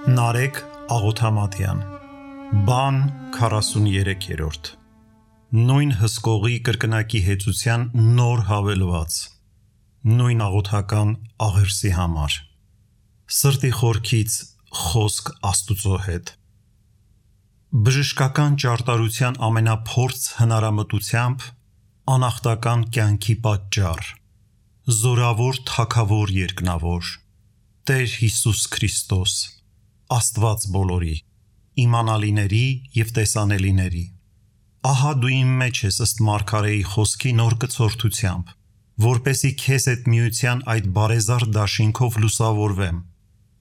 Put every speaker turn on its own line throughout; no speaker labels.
Նարեկ Աղոթամատյան Բան 43-րդ Նույն հսկողի կրկնակի հեծության նոր հավելված Նույն աղոթական աղերսի համար Սրտի խորքից խոսք Աստուծո հետ Բժշկական ճարտարության ամենափորձ հնարամտությամբ անախտական կյանքի պատճառ Զորավոր թագավոր երկնավոր Տեր Հիսուս Քրիստոս Աստված բոլորի, իմանալիների և տեսանելիների Ահա դու իմ մեջ ես ըստ Մարգարեի խոսքի նոր կցորդությամբ, որպեսզի քեզ հետ միության այդ բարեզառ դաշինքով լուսավորվեմ,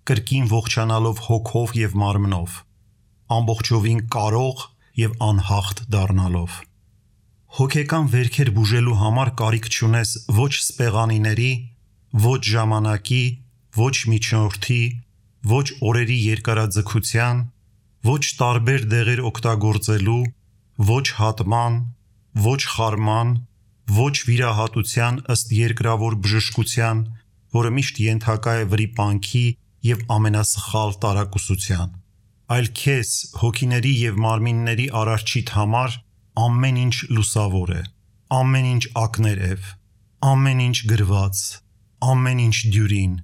կրկին ողջանալով հոգով և մարմնով, ամբողջովին կարող և անհաղթ դառնալով։ Հոգեկան վերքեր բուժելու համար կարիք չունես ոչ սպեղանիների, ոչ ժամանակի, ոչ միջնորդի, ոչ օրերի երկարաձգության, ոչ տարբեր դեղեր օգտագործելու, ոչ հատման, ոչ խարման, ոչ վիրահատության ըստ երկրավոր բժշկության, որը միշտ ենթակա է վրիպանքի և ամենասխալ տարակուսության, այլ քեզ հոգիների և մարմինների Արարչիդ համար ամեն ինչ լուսավոր է, ամեն ինչ ակներև, ամեն ինչ գրված, ամեն ինչ դյուրին,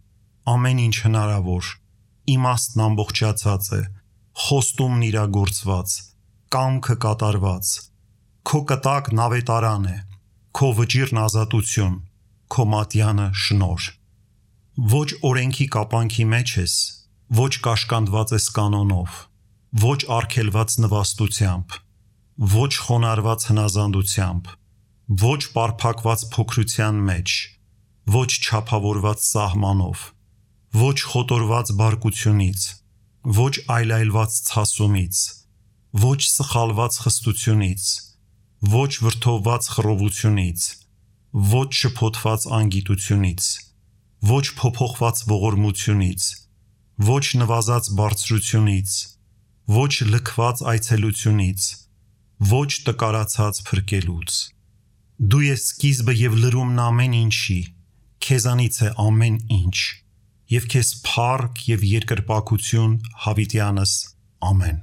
ամեն ինչ հնարավոր, իմաստն ամբողջացած է, խոստումն իրագործված, կամքը կատարված, քո կտակն ավետարան է, քո վճիռն ազատություն, քո մատյանը շնորհ։ Ոչ օրենքի կապանքի մեջ ես, ոչ կաշկանդված ես կանոնով, ոչ արգելված նվաստությամբ, ոչ խոնարհված հնազանդությամբ, ոչ պարփակված փոքրության մեջ, ոչ չափավորված սահմանով, ոչ խոտորված բարկությունից, ոչ այլայլված ցասումից, ոչ սխալված խստությունից, ոչ վրդովված խռովությունից, ոչ շփոթված անգիտությունից, ոչ փոփոխված ողորմությունից, ոչ նվազած բարձրությունից, ոչ լքված այցելությունից, ոչ տկարացած փրկելուց։ Դու ես սկիզբը և լրումն ամեն ինչի, քեզանից է ամեն ինչ, և քեզ փառք և երկրպագություն հավիտյանս ամեն։